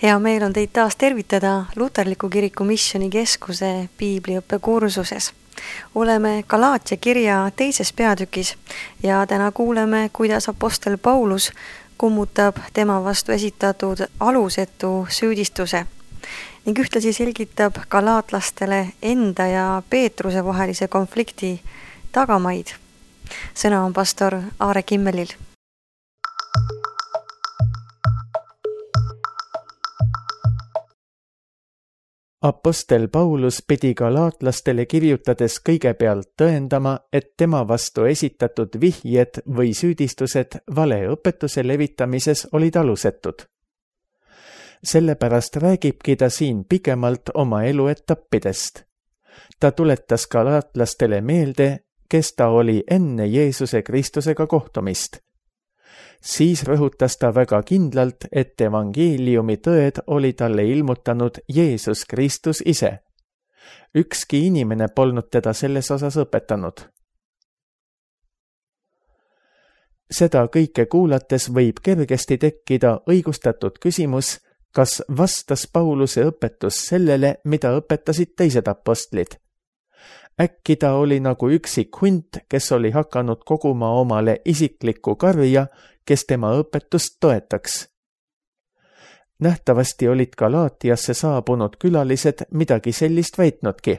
Hea meel on teid taas tervitada Luterliku Kiriku Missioonikeskuse piibliõppekursuses. Oleme Galaatia kirja teises peatükis ja täna kuuleme, kuidas apostel Paulus kummutab tema vastu esitatud alusetu süüdistuse ning ühtlasi selgitab galaatlastele enda ja Peetruse vahelise konflikti tagamaid. Sõna on pastor Aare Kimmelil. Apostel Paulus pidi galaatlastele kirjutades kõigepealt tõendama, et tema vastu esitatud vihjed või süüdistused valeõpetuse levitamises olid alusetud. Sellepärast räägibki ta siin pikemalt oma eluetappidest. Ta tuletas galaatlastele meelde, kes ta oli enne Jeesuse Kristusega kohtumist. Siis rõhutas ta väga kindlalt, et evangeeliumi tõed oli talle ilmutanud Jeesus Kristus ise. Ükski inimene polnud teda selles osas õpetanud. Seda kõike kuulates võib kergesti tekkida õigustatud küsimus, kas vastas Pauluse õpetus sellele, mida õpetasid teised apostlid. Äkki ta oli nagu üksik hunt, kes oli hakanud koguma omale isiklikku karja, kes tema õpetust toetaks. Nähtavasti olid Galaatiasse saabunud külalised midagi sellist väitnudki.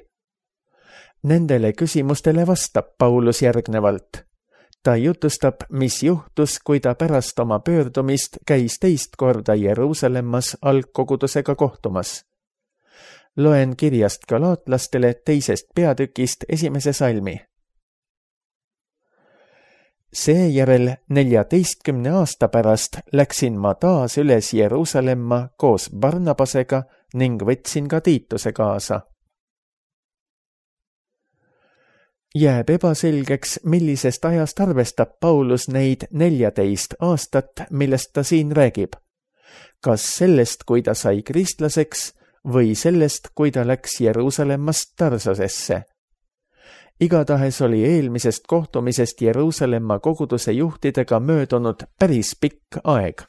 Nendele küsimustele vastab Paulus järgnevalt. Ta jutustab, mis juhtus, kui ta pärast oma pöördumist käis teist korda Jeruusalemmas algkogudusega kohtumas. Loen kirjast galaatlastele teisest peatükist 1. salmi. Seejärel 14 aasta pärast läksin ma taas üles Jeruusalemma koos Barnabasega ning võtsin ka Tiituse kaasa. Jääb ebaselgeks, millisest ajast arvestab Paulus neid 14 aastat, millest ta siin räägib. Kas sellest, kui ta sai kristlaseks, või sellest, kui ta läks Jeruusalemmast Tarsosesse. Igatahes oli eelmisest kohtumisest Jeruusalemma koguduse juhtidega möödunud päris pikk aeg.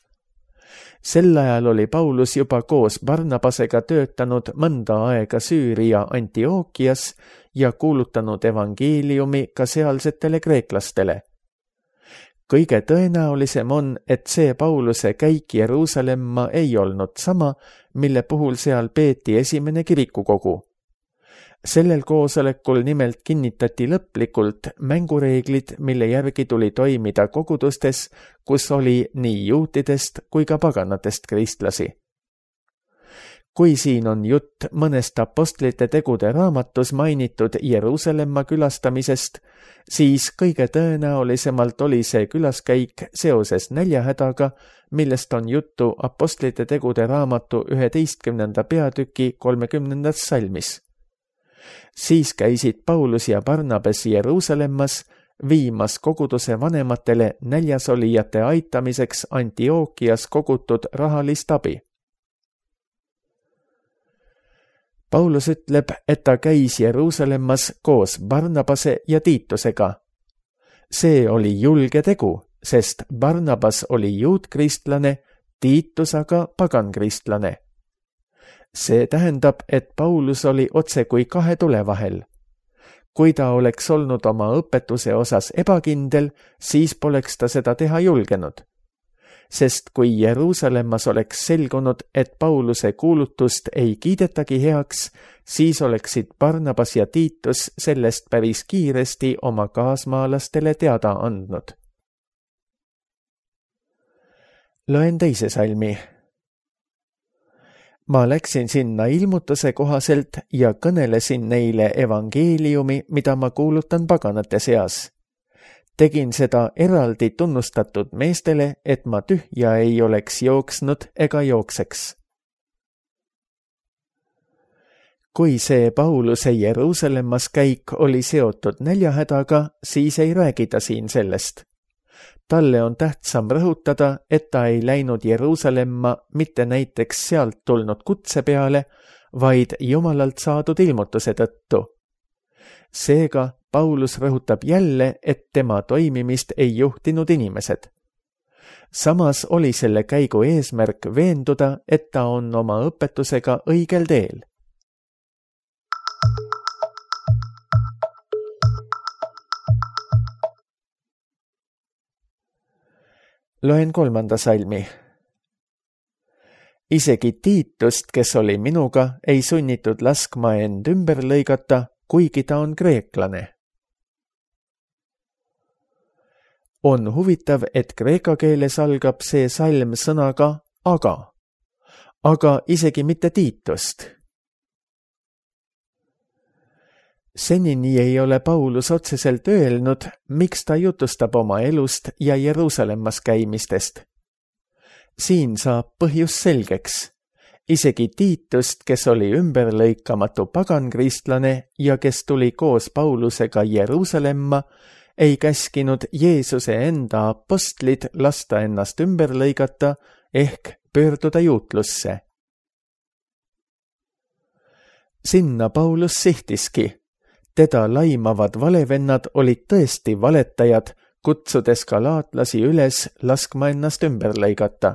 Sel ajal oli Paulus juba koos Barnabasega töötanud mõnda aega Süüria Antiokias ja kuulutanud evangeeliumi ka sealsetele kreeklastele. Kõige tõenäolisem on, et see Pauluse käik Jeruusalemma ei olnud sama, mille puhul seal peeti esimene kirikukogu. Sellel koosolekul nimelt kinnitati lõplikult mängureeglid, mille järgi tuli toimida kogudustes, kus oli nii juutidest kui ka paganatest kristlasi. Kui siin on jutt mõnest apostlite tegude raamatus mainitud Jeruusalemma külastamisest, siis kõige tõenäolisemalt oli see külaskäik seoses näljahädaga, millest on juttu apostlite tegude raamatu 11. peatüki 30. salmis. Siis käisid Paulus ja Barnabas Jeruusalemmas viimas koguduse vanematele näljasolijate aitamiseks Antiokias kogutud rahalist abi. Paulus ütleb, et ta käis Jeruusalemmas koos Barnabase ja Tiitusega. See oli julge tegu, sest Barnabas oli juutkristlane, Tiitus aga pagankristlane. See tähendab, et Paulus oli otse kui kahe tule vahel. Kui ta oleks olnud oma õpetuse osas ebakindel, siis poleks ta seda teha julgenud. Sest kui Jeruusalemmas oleks selgunud, et Pauluse kuulutust ei kiidetagi heaks, siis oleksid Barnabas ja Tiitus sellest päris kiiresti oma kaasmaalastele teada andnud. Loen teise salmi. Ma läksin sinna ilmutuse kohaselt ja kõnelesin neile evangeeliumi, mida ma kuulutan paganate seas. Tegin seda eraldi tunnustatud meestele, et ma tühja ei oleks jooksnud ega jookseks. Kui see Pauluse Jeruusalemmas käik oli seotud näljahädaga, siis ei räägita siin sellest. Talle on tähtsam rõhutada, et ta ei läinud Jeruusalemma mitte näiteks sealt tulnud kutse peale, vaid Jumalalt saadud ilmutuse tõttu. Seega Paulus rõhutab jälle, et tema toimimist ei juhtinud inimesed. Samas oli selle käigu eesmärk veenduda, et ta on oma õpetusega õigel teel. Loen 3. salmi. Isegi Tiitust, kes oli minuga, ei sunnitud laskma end ümber lõigata, kuigi ta on kreeklane. On huvitav, et kreeka keeles algab see salm sõnaga aga isegi mitte Tiitust. Senini ei ole Paulus otseselt öelnud, miks ta jutustab oma elust ja Jeruusalemmas käimistest. Siin saab põhjus selgeks. Isegi Tiitust, kes oli ümberlõikamatu pagankristlane ja kes tuli koos Paulusega Jeruusalemma, ei käskinud Jeesuse enda apostlid lasta ennast ümber lõigata ehk pöörduda juutlusse. Sinna Paulus sihtiski. Teda laimavad valevennad olid tõesti valetajad, kutsudes galaatlasi üles laskma ennast ümber lõigata.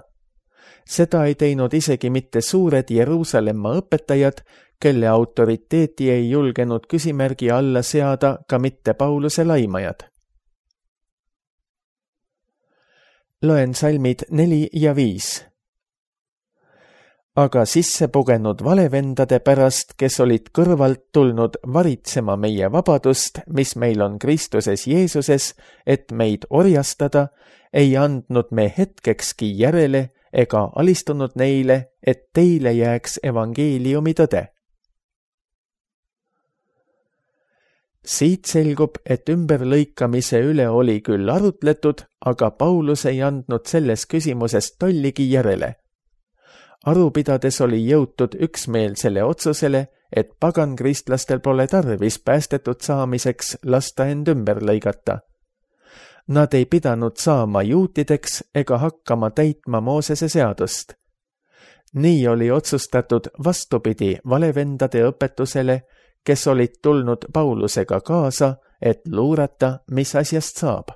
Seda ei teinud isegi mitte suured Jeruusalemma õpetajad, kelle autoriteeti ei julgenud küsimärgi alla seada ka mitte Pauluse laimajad. Loen salmid 4 ja 5. Aga sisse pugenud valevendade pärast, kes olid kõrvalt tulnud varitsema meie vabadust, mis meil on Kristuses Jeesuses, et meid orjastada, ei andnud me hetkekski järele ega alistunud neile, et teile jääks evangeeliumi tõde. Siit selgub, et ümberlõikamise üle oli küll arutletud, aga Paulus ei andnud selles küsimuses tolligi järele. Aru pidades oli jõutud üksmeelsele otsusele, et pagankristlastel pole tarvis päästetud saamiseks lasta end ümber lõigata. Nad ei pidanud saama juutideks ega hakkama täitma Moosese seadust. Nii oli otsustatud vastupidi valevendade õpetusele, kes olid tulnud Paulusega kaasa, et luurata, mis asjast saab.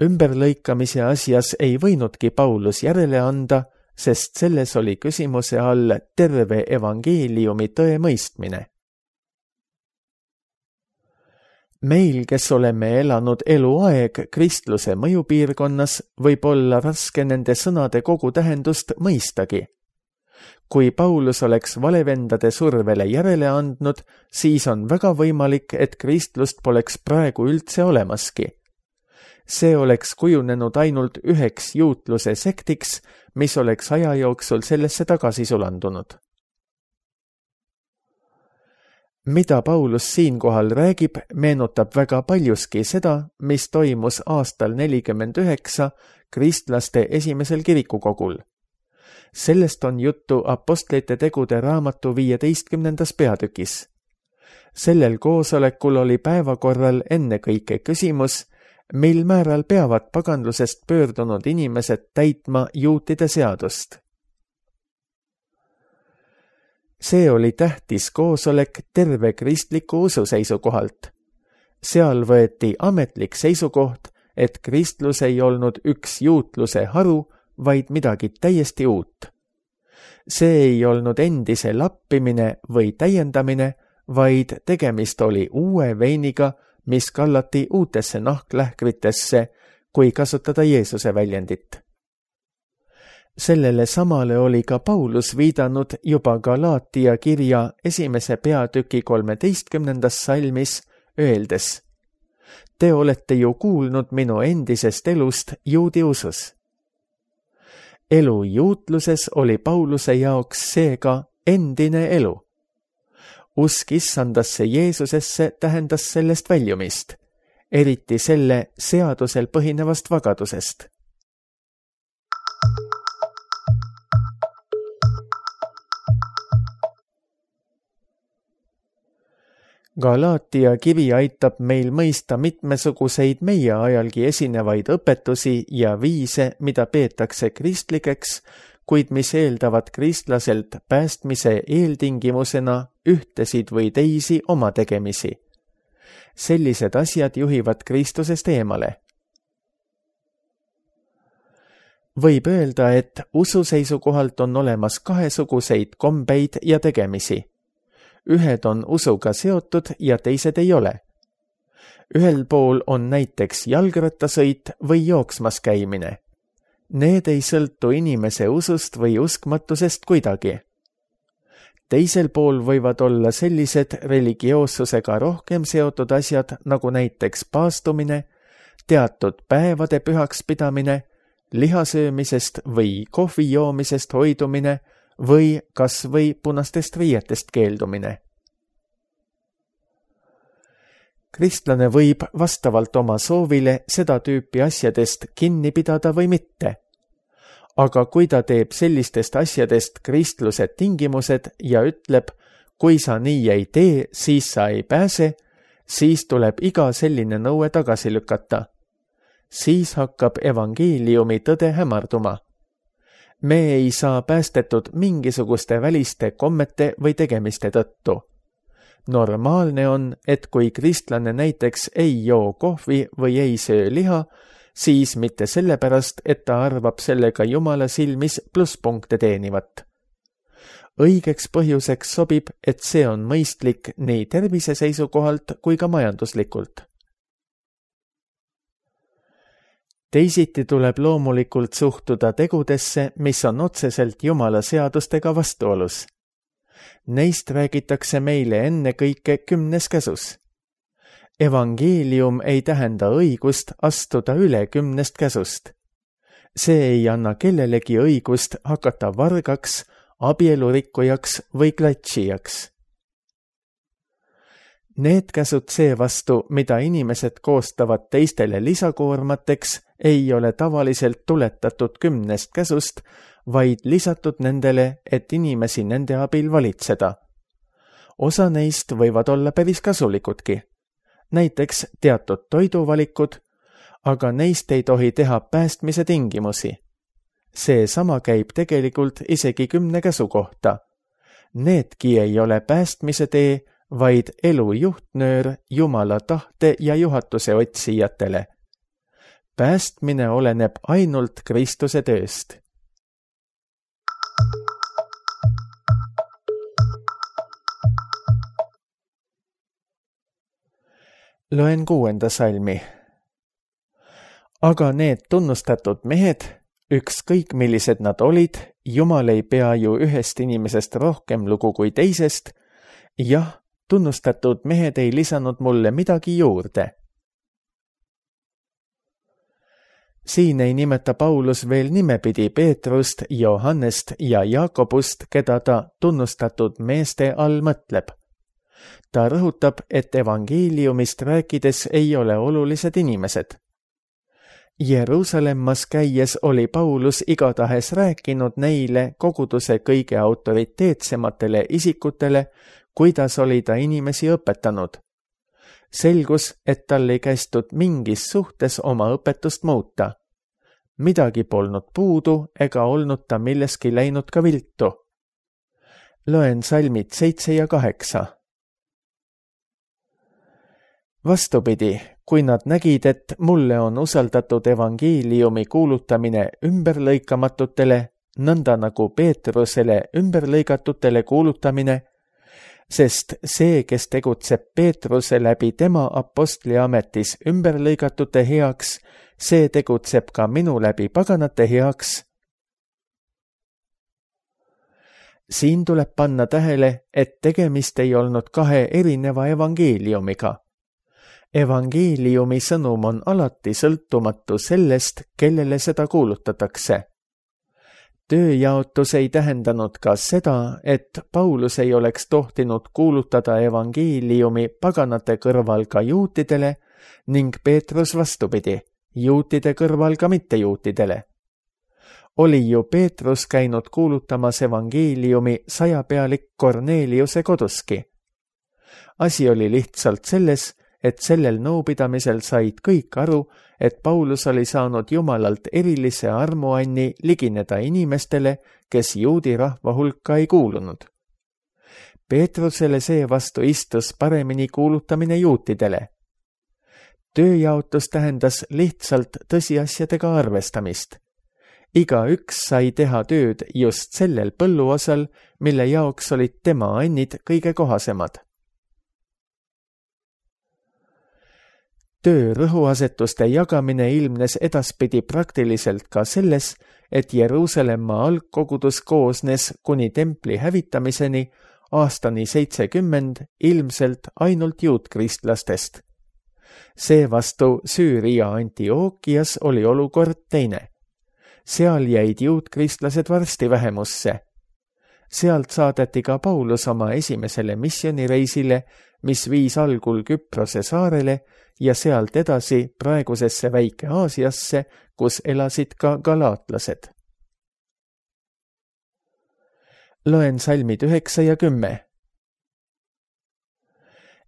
Ümberlõikamise asjas ei võinudki Paulus järele anda, sest selles oli küsimuse all terve evangeeliumi tõe mõistmine. Meil, kes oleme elanud eluaeg kristluse mõjupiirkonnas, võib olla raske nende sõnade kogu tähendust mõistagi. Kui Paulus oleks valevendade survele järele andnud, siis on väga võimalik, et kristlust poleks praegu üldse olemaski. See oleks kujunenud ainult üheks juutluse sektiks, mis oleks aja jooksul sellesse tagasi sulandunud. Mida Paulus siinkohal räägib, meenutab väga paljuski seda, mis toimus aastal 49 kristlaste esimesel kirikukogul. Sellest on juttu Apostlite tegude raamatu 15. peatükis. Sellel koosolekul oli päevakorral ennekõike küsimus, mil määral peavad paganlusest pöördunud inimesed täitma juutide seadust. See oli tähtis koosolek terve kristliku usu seisukohalt. Seal võeti ametlik seisukoht, et kristlus ei olnud üks juutluse haru, vaid midagi täiesti uut. See ei olnud endise lappimine või täiendamine, vaid tegemist oli uue veiniga, mis kallati uutesse nahklähkritesse, kui kasutada Jeesuse väljendit. Sellele samale oli ka Paulus viidanud juba Galaatia kirja 1. peatüki 13. salmis, öeldes: Te olete ju kuulnud minu endisest elust juudi usus. Elu juutluses oli Pauluse jaoks seega endine elu. Usk issandasse Jeesusesse tähendas sellest väljumist, eriti selle seadusel põhinevast vagadusest. Galaatia kiri aitab meil mõista mitmesuguseid meie ajalgi esinevaid õpetusi ja viise, mida peetakse kristlikeks, kuid mis eeldavad kristlaselt päästmise eeltingimusena ühtesid või teisi oma tegemisi. Sellised asjad juhivad Kristusest eemale. Võib öelda, et usu seisukohalt on olemas kahesuguseid kombeid ja tegemisi. Ühed on usuga seotud ja teised ei ole. Ühel pool on näiteks jalgrattasõit või jooksmas käimine. Need ei sõltu inimese usust või uskmatusest kuidagi. Teisel pool võivad olla sellised religioossusega rohkem seotud asjad, nagu näiteks paastumine, teatud päevade pühaks pidamine, lihasöömisest või kohvi joomisest hoidumine või kas või punastest riietest keeldumine. Kristlane võib vastavalt oma soovile seda tüüpi asjadest kinni pidada või mitte. Aga kui ta teeb sellistest asjadest kristluse tingimused ja ütleb, kui sa nii ei tee, siis sa ei pääse, siis tuleb iga selline nõue tagasi lükata. Siis hakkab evangeeliumi tõde hämarduma. Me ei saa päästetud mingisuguste väliste kommete või tegemiste tõttu. Normaalne on, et kui kristlane näiteks ei joo kohvi või ei söö liha, siis mitte sellepärast, et ta arvab sellega Jumala silmis plusspunkte teenivat. Õigeks põhjuseks sobib, et see on mõistlik nii tervise seisukohalt kui ka majanduslikult. Teisiti tuleb loomulikult suhtuda tegudesse, mis on otseselt Jumala seadustega vastuolus. Neist räägitakse meile ennekõike 10. käsus. Evangeelium ei tähenda õigust astuda üle 10 käsust. See ei anna kellelegi õigust hakata vargaks, abielurikkujaks või klatšijaks. Need käsud seevastu, mida inimesed koostavad teistele lisakoormateks, ei ole tavaliselt tuletatud 10 käsust, vaid lisatud nendele, et inimesi nende abil valitseda. Osa neist võivad olla päris kasulikudki. Näiteks teatud toiduvalikud, aga neist ei tohi teha päästmise tingimusi. Seesama käib tegelikult isegi 10 käsu kohta. Needki ei ole päästmise tee, vaid elu juhtnöör Jumala tahte ja juhatuse otsijatele. Päästmine oleneb ainult Kristuse tööst. Loen 6. salmi. Aga need tunnustatud mehed, ükskõik millised nad olid, Jumal ei pea ju ühest inimesest rohkem lugu kui teisest, jah, tunnustatud mehed ei lisanud mulle midagi juurde. Siin ei nimeta Paulus veel nimepidi Peetrust, Johannest ja Jaakobust, keda ta tunnustatud meeste all mõtleb. Ta rõhutab, et evangeeliumist rääkides ei ole olulised inimesed. Jeruusalemmas käies oli Paulus igatahes rääkinud neile koguduse kõige autoriteetsematele isikutele, kuidas oli ta inimesi õpetanud. Selgus, et tal ei kästud mingis suhtes oma õpetust muuta. Midagi polnud puudu ega olnud ta milleski läinud ka viltu. Loen salmid 7 ja 8. Vastupidi, kui nad nägid, et mulle on usaldatud evangeeliumi kuulutamine ümberlõikamatutele, nõnda nagu Peetrusele ümberlõigatutele kuulutamine, sest see, kes tegutseb Peetruse läbi tema apostliametis ümberlõigatute heaks, see tegutseb ka minu läbi paganate heaks. Siin tuleb panna tähele, et tegemist ei olnud 2 erineva evangeeliumiga. Evangeeliumi sõnum on alati sõltumatu sellest, kellele seda kuulutatakse. Tööjaotus ei tähendanud ka seda, et Paulus ei oleks tohtinud kuulutada evangeeliumi paganate kõrval ka juutidele ning Peetrus vastupidi, juutide kõrval ka mittejuutidele. Oli ju Peetrus käinud kuulutamas evangeeliumi 100-pealik Korneliuse koduski. Asi oli lihtsalt selles, et sellel nõupidamisel said kõik aru, et Paulus oli saanud Jumalalt erilise armuanni ligineda inimestele, kes juudi rahva hulka ei kuulunud. Peetrusele seevastu istus paremini kuulutamine juutidele. Tööjaotus tähendas lihtsalt tõsiasjadega arvestamist. igaüks sai teha tööd just sellel põlluosal, mille jaoks olid tema annid kõige kohasemad. Töö rõhuasetuste jagamine ilmnes edaspidi praktiliselt ka selles, et Jeruusalemma algkogudus koosnes kuni templi hävitamiseni aastani 70 ilmselt ainult juutkristlastest. Seevastu Süüria Antiookias oli olukord teine. Seal jäid juutkristlased varsti vähemusse. Sealt saadeti ka Paulus oma esimesele missioonireisile, mis viis algul Küprose saarele ja sealt edasi praegusesse Väike-Aasiasse, kus elasid ka galaatlased. Loen salmid 9 ja 10.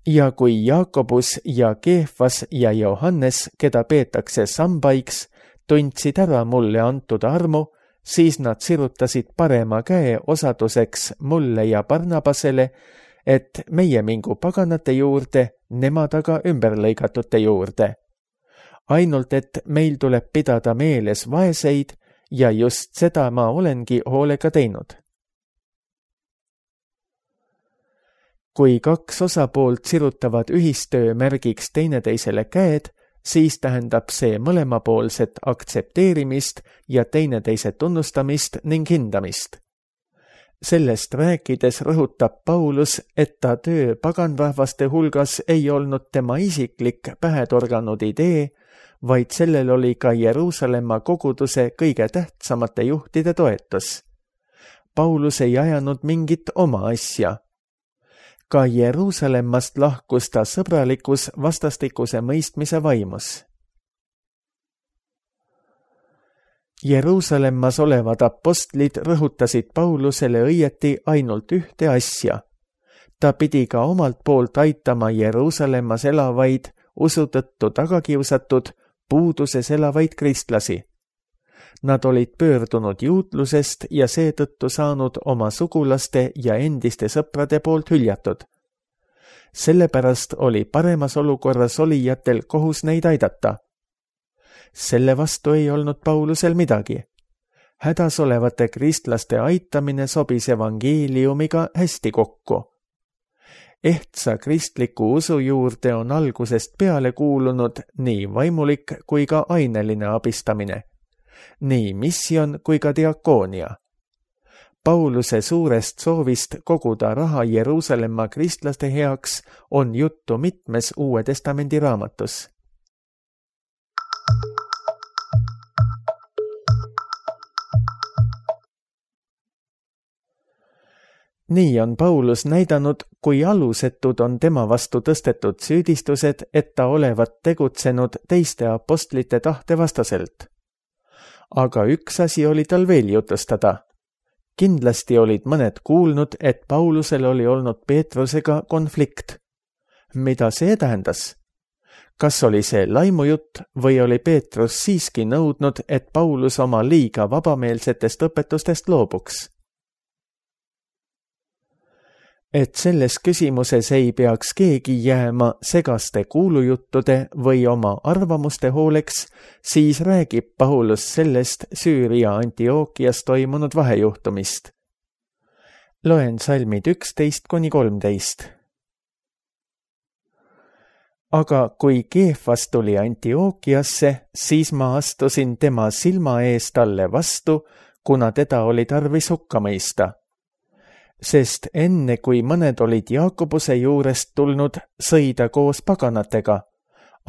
Ja kui Jaakobus ja Keefas ja Johannes, keda peetakse sambaiks, tundsid ära mulle antud armu, siis nad sirutasid parema käe osaduseks mulle ja Barnabasele, et meie mingu paganate juurde, nemad aga ümberlõigatute juurde. Ainult, et meil tuleb pidada meeles vaeseid ja just seda ma olengi hoolega teinud. Kui kaks osapoolt sirutavad ühistöö märgiks teineteisele käed, siis tähendab see mõlemapoolset aktsepteerimist ja teineteise tunnustamist ning hindamist. Sellest rääkides rõhutab Paulus, et ta töö paganrahvaste hulgas ei olnud tema isiklik pähetorganud idee, vaid sellel oli ka Jeruusalemma koguduse kõige tähtsamate juhtide toetus. Paulus ei ajanud mingit oma asja. Ka Jeruusalemmast lahkus ta sõbralikus vastastikuse mõistmise vaimus. Jeruusalemmas olevad apostlid rõhutasid Paulusele õieti ainult ühte asja. Ta pidi ka omalt poolt aitama Jeruusalemmas elavaid, usu tõttu tagakiusatud, puuduses elavaid kristlasi. Nad olid pöördunud juutlusest ja seetõttu saanud oma sugulaste ja endiste sõprade poolt hüljatud. Sellepärast oli paremas olukorras olijatel kohus neid aidata. Selle vastu ei olnud Paulusel midagi. Hädas olevate kristlaste aitamine sobis evangeeliumiga hästi kokku. Ehtsa kristliku usu juurde on algusest peale kuulunud nii vaimulik kui ka aineline abistamine. Nii missioon kui ka diakoonia. Pauluse suurest soovist koguda raha Jeruusalemma kristlaste heaks on juttu mitmes Uue Testamendi raamatus. Nii on Paulus näidanud, kui alusetud on tema vastu tõstetud süüdistused, et ta olevat tegutsenud teiste apostlite tahte vastaselt. Aga üks asi oli tal veel jutustada. Kindlasti olid mõned kuulnud, et Paulusel oli olnud Peetrusega konflikt. Mida see tähendas? Kas oli see laimujutt või oli Peetrus siiski nõudnud, et Paulus oma liiga vabameelsetest õpetustest loobuks? Et selles küsimuses ei peaks keegi jääma segaste kuulujuttude või oma arvamuste hooleks, siis räägib Paulus sellest Süüria Antiookias toimunud vahejuhtumist. Loen salmid 11-13. Aga kui Keefas tuli Antiookiasse, siis ma astusin tema silma ees talle vastu, kuna teda oli tarvis hukka mõista. Sest enne kui mõned olid Jaakobuse juurest tulnud, sõi ta koos paganatega,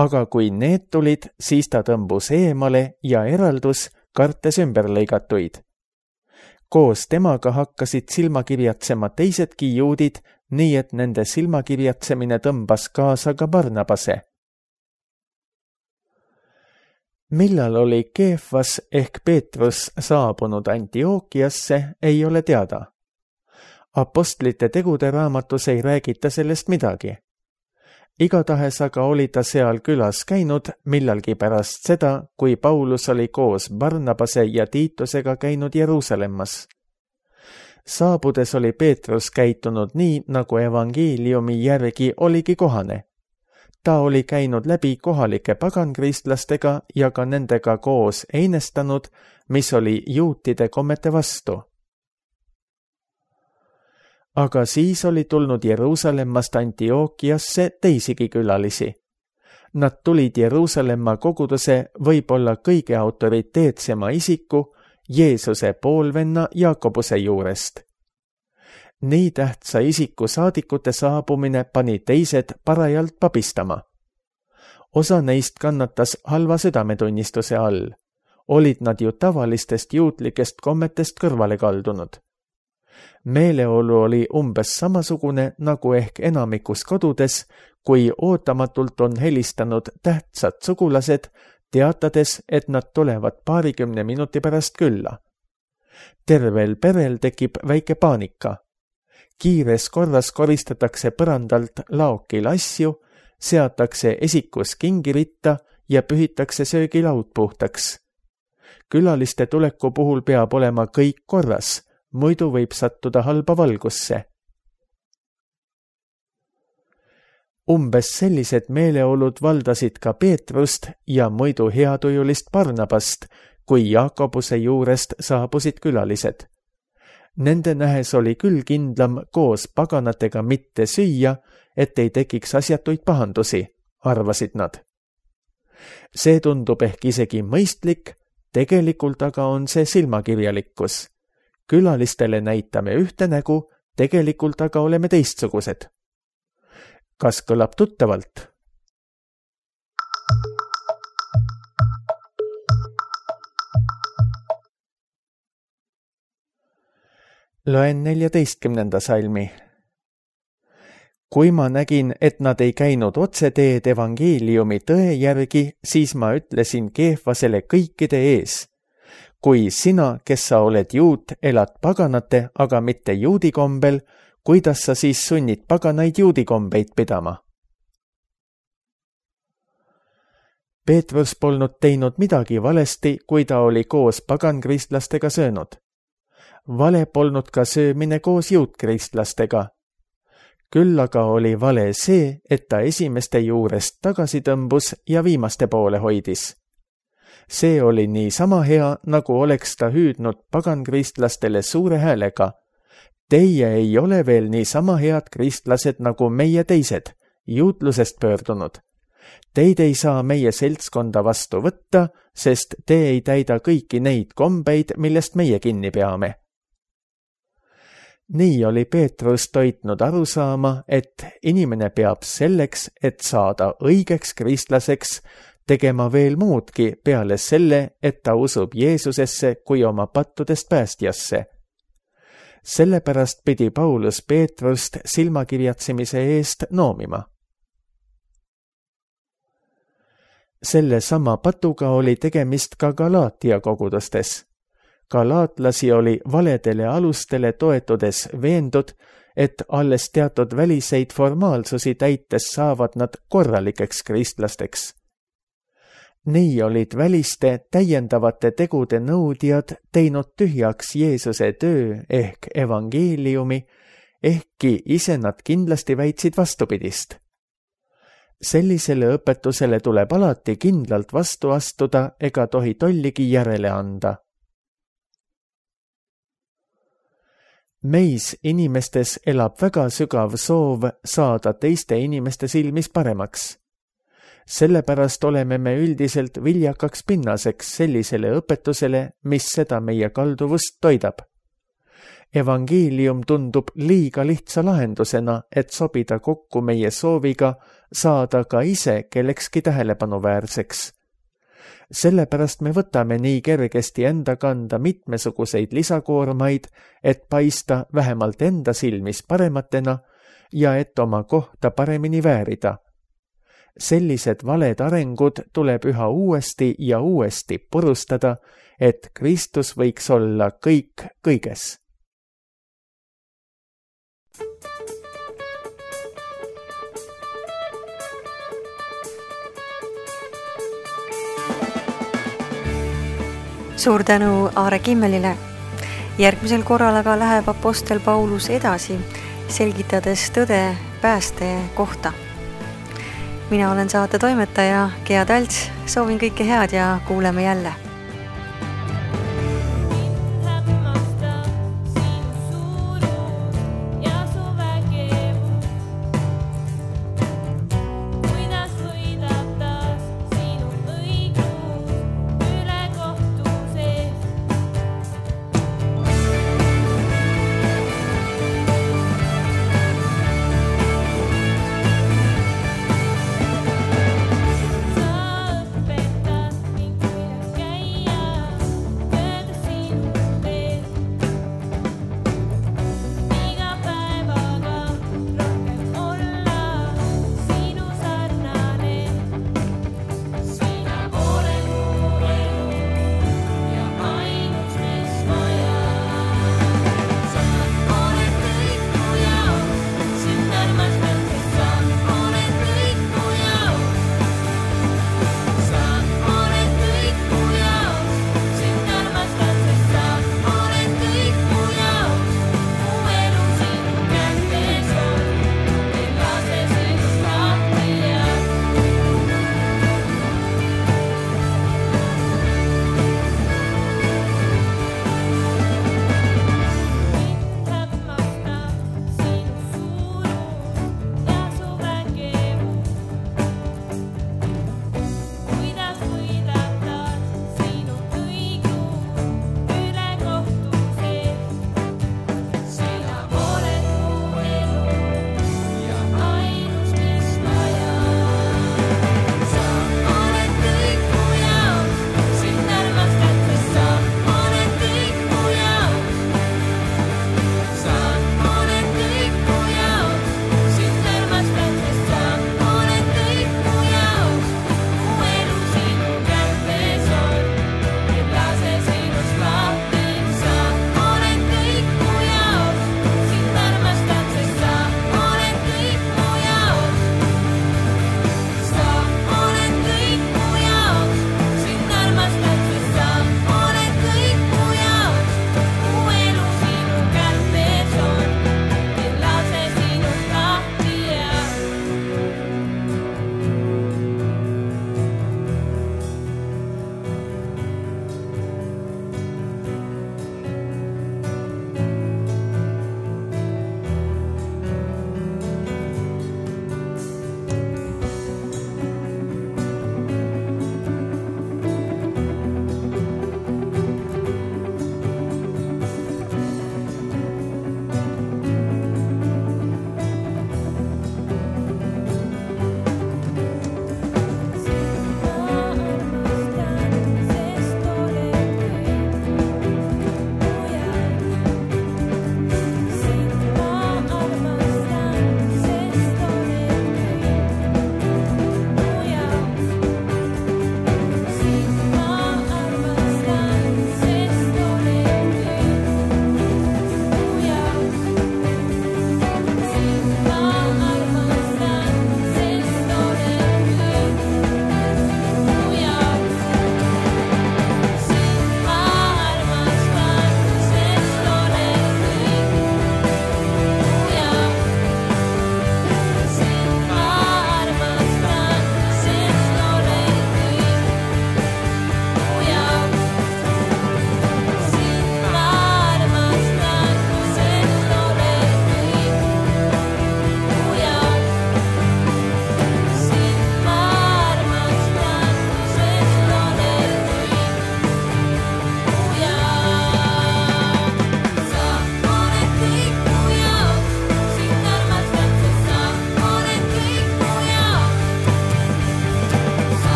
aga kui need tulid, siis ta tõmbus eemale ja eraldus, kartes ümberlõigatuid. Koos temaga hakkasid silmakirjatsema teisedki juudid, nii et nende silmakirjatsemine tõmbas kaasa ka Barnabase. Millal oli Keefas ehk Peetrus saabunud Antiookiasse, ei ole teada. Apostlite tegude raamatus ei räägita sellest midagi. Igatahes aga oli ta seal külas käinud millalgi pärast seda, kui Paulus oli koos Barnabase ja Tiitusega käinud Jeruusalemmas. Saabudes oli Peetrus käitunud nii, nagu evangeeliumi järgi oligi kohane. Ta oli käinud läbi kohalike pagankristlastega ja ka nendega koos einestanud, mis oli juutide kommete vastu. Aga siis oli tulnud Jeruusalemmast Antiookiasse teisigi külalisi. Nad tulid Jeruusalemma koguduse võib-olla kõige autoriteetsema isiku, Jeesuse poolvenna Jaakobuse juurest. Nii tähtsa isiku saadikute saabumine pani teised parajalt pabistama. Osa neist kannatas halva südametunnistuse all. Olid nad ju tavalistest juutlikest kommetest kõrvale kaldunud. Meeleolu oli umbes samasugune nagu ehk enamikus kodudes, kui ootamatult on helistanud tähtsad sugulased, teatades, et nad tulevad 20 minuti pärast külla. Tervel perel tekib väike paanika. Kiires korras koristatakse põrandalt laokil asju, seatakse esikus kingiritta ja pühitakse söögilaud puhtaks. Külaliste tuleku puhul peab olema kõik korras, muidu võib sattuda halba valgusse. Umbes sellised meeleolud valdasid ka Peetrust ja muidu heatujulist Barnabast, kui Jaakobuse juurest saabusid külalised. Nende nähes oli küll kindlam koos paganatega mitte süüa, et ei tekiks asjatuid pahandusi, arvasid nad. See tundub ehk isegi mõistlik, tegelikult aga on see silmakirjalikkus. Külalistele näitame ühte nägu, tegelikult aga oleme teistsugused. Kas kõlab tuttavalt? Loen 14. salmi. Kui ma nägin, et nad ei käinud otseteed evangeeliumi tõe järgi, siis ma ütlesin Keefasele kõikide ees. Kui sina, kes sa oled juut, elad paganate, aga mitte juudi kombel, kuidas sa siis sunnid paganaid juudi kombeid pidama? Peetrus polnud teinud midagi valesti, kui ta oli koos pagankristlastega söönud. Vale polnud ka söömine koos juutkristlastega. Küll aga oli vale see, et ta esimeste juurest tagasi tõmbus ja viimaste poole hoidis. See oli nii sama hea, nagu oleks ta hüüdnud pagankristlastele suure häälega. Teie ei ole veel nii sama head kristlased nagu meie teised, juutlusest pöördunud. Teid ei saa meie seltskonda vastu võtta, sest te ei täida kõiki neid kombeid, millest meie kinni peame. Nii oli Peetrus toitnud aru saama, et inimene peab selleks, et saada õigeks kristlaseks, tegema veel muudki peale selle, et ta usub Jeesusesse kui oma pattudest päästjasse. Sellepärast pidi Paulus Peetrust silmakirjatsemise eest noomima. Selle sama patuga oli tegemist ka Galaatia kogudustes. Galaatlasi oli valedele alustele toetudes veendud, et alles teatud väliseid formaalsusi täites saavad nad korralikeks kristlasteks. Nii olid väliste täiendavate tegude nõudjad teinud tühjaks Jeesuse töö ehk evangeeliumi, ehkki ise nad kindlasti väitsid vastupidist. Sellisele õpetusele tuleb alati kindlalt vastu astuda ega tohi tolligi järele anda. Meis inimestes elab väga sügav soov saada teiste inimeste silmis paremaks. Sellepärast oleme me üldiselt viljakaks pinnaseks sellisele õpetusele, mis seda meie kalduvust toidab. Evangeelium tundub liiga lihtsa lahendusena, et sobida kokku meie sooviga saada ka ise kellekski tähelepanuväärseks. Sellepärast me võtame nii kergesti enda kanda mitmesuguseid lisakoormaid, et paista vähemalt enda silmis parematena ja et oma kohta paremini väärida. Sellised valed arengud tuleb üha uuesti ja uuesti purustada, et Kristus võiks olla kõik kõiges. Suur tänu Aare Kimmelile. Järgmisel korral aga läheb apostel Paulus edasi, selgitades tõde pääste kohta. mina olen saate toimetaja Gea Talts, soovin kõike head ja kuuleme jälle.